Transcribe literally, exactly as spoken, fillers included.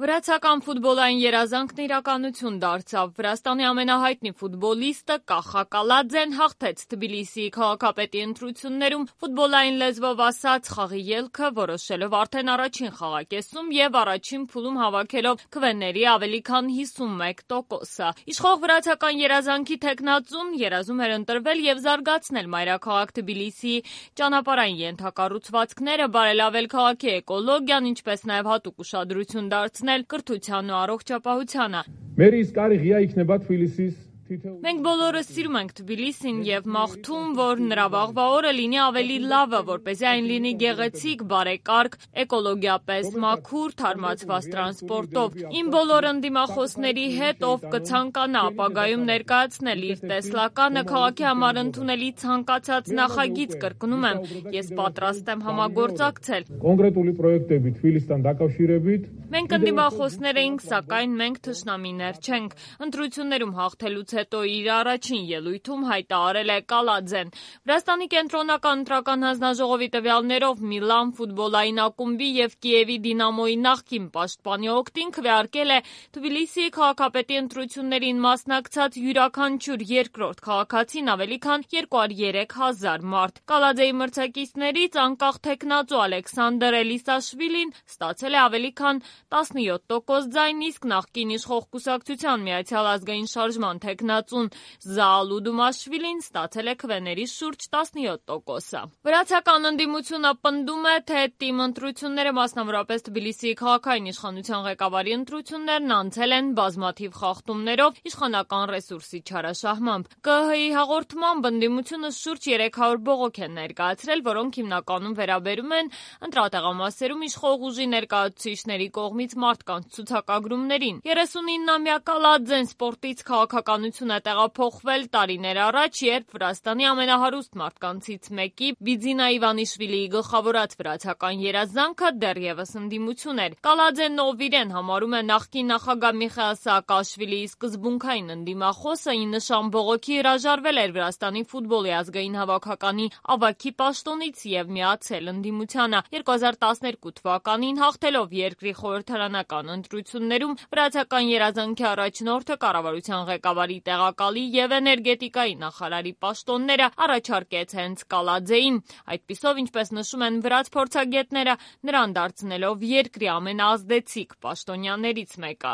Վրացական ֆուտբոլային երազանքն իրականություն դարձավ։ Վրաստանի ամենահայտնի ֆուտբոլիստը Կախա Կալաձեն հաղթեց Թբիլիսիի քաղաքապետի ընտրություններում ֆուտբոլային լեզվով ասած խաղի ելքը որոշելով արդեն առաջին խաղակեսում և առաջին փուլում հավաքելով քվեների ավելի քան հիսունմեկ տոկոսը։ Իշխող վրացական երազանքի թեկնածուն երազում էր ընտրվել և զարգացնել մայրաքաղաք Թբիլիսիի ճանապարհային ենթակառուցվածքները, բարելավել քաղաքի էկոլոգիան, ինչպես նաև հատուկ ուշադրություն դարձնել կրթության ու առողջապահությանը։ Մենք բոլորս սիրում ենք Թբիլիսին և մաղթում, որ նրա վաղվա օրը լինի ավելի լավը, որպեսզի այն լինի գեղեցիկ, բարեկարգ, էկոլոգիապես մաքուր, թարմացված տրանսպորտով։ Իմ բոլոր ընդդիմախոսների հետ, ով կցանկանա ապագայում ներկայացնել իր տեսլականը, քաղաքի համար ընդունելի ցանկացած նախագիծ, կրկնում եմ, ես պատրաստ եմ համագործակցել։ Մենք ընդդիմախոսներ էինք, սակայն մենք թշնամիներ չենք։ Ընտրություններում հաղթելուց հետո իր առաջին ելույթում հայտարարել է Կալաձեն։ Վրաստանի կենտրոնական ընտրական հանձնաժողովի տվյալներով Միլան ֆուտբոլային ակումբի և Կիևի Դինամոյի նախկին պաշտպանի օգտին քվեարկել է Թբիլիսիի քաղաքապետի ընտրություններին մասնակցած յուրաքանչյուր երկրորդ քաղաքացին ավելի քան երկու հարյուր երեք հազար մարդ։ Կալաձեի մրցակիցներից անկախ թեկնածու Ալեքսանդր Էլիսաշվիլին ստացել է ավելի քան տասնյոթ տոկոս ձայն, իսկ նախկին իշխող կուսակցության Միացյալ ազգային շարժման թեկնածուն Զաալու Դումաշվիլին ստացել է քվեների շուրջ տասնյոթ տոկոսը։ Վրացական ընդդիմությունը պնդում է, թե ՏԻՄ ընտրությունները, մասնավորապես Թբիլիսիի քաղաքային իշխանության ղեկավարի ընտրություններն անցել են բազմաթիվ խախտումներով իշխանական ռեսուրսի չարաշահմամբ։ ԿԸՀ-ի հաղորդմամբ ընդդիմությունը շուրջ երեք հարյուր բողոք է ներկայացրել, որոնք հիմնականում վերաբերում են ընտրատեղամասերում իշխող ուժի ներկայացուցիչների կողմից մարդկանց ցուցակագրումներին։ երեսունիննամյա Կալաձեն սպորտից քաղաքականություն է տեղափոխվել տարիներ առաջ, երբ Վրաստանի ամենահարուստ մարդկանցից մեկի Բիձինա Իվանիշվիլիի գլխավորած վրացական երազանքը դեռևս ընդդիմություն էր։ Կալաձեն, ով իրեն համարում է նախկին նախագահ Միխայիլ Սաակաշվիլիի սկզբունքային ընդդիմախոսը, ի նշան բողոքի հրաժարվել էր Վրաստանի ֆուտբոլի ազգային հավաքականի ավագի պաշտոնից և միացել ընդդիմությանը։ երկու հազար տասներկու թվականին հաղթելով երկրի խորհրդարանական ընտրություններում վրացական երազանքի առաջնորդը կառավարության ղեկավարի տեղակալի և էներգետիկայի նախարարի պաշտոնները առաջարկեց հենց Կալաձեին, այդպիսով, ինչպես նշում են վրաց փորձագետները, նրան դարձնելով երկրի ամենաազդեցիկ պաշտոնյաներից մեկը։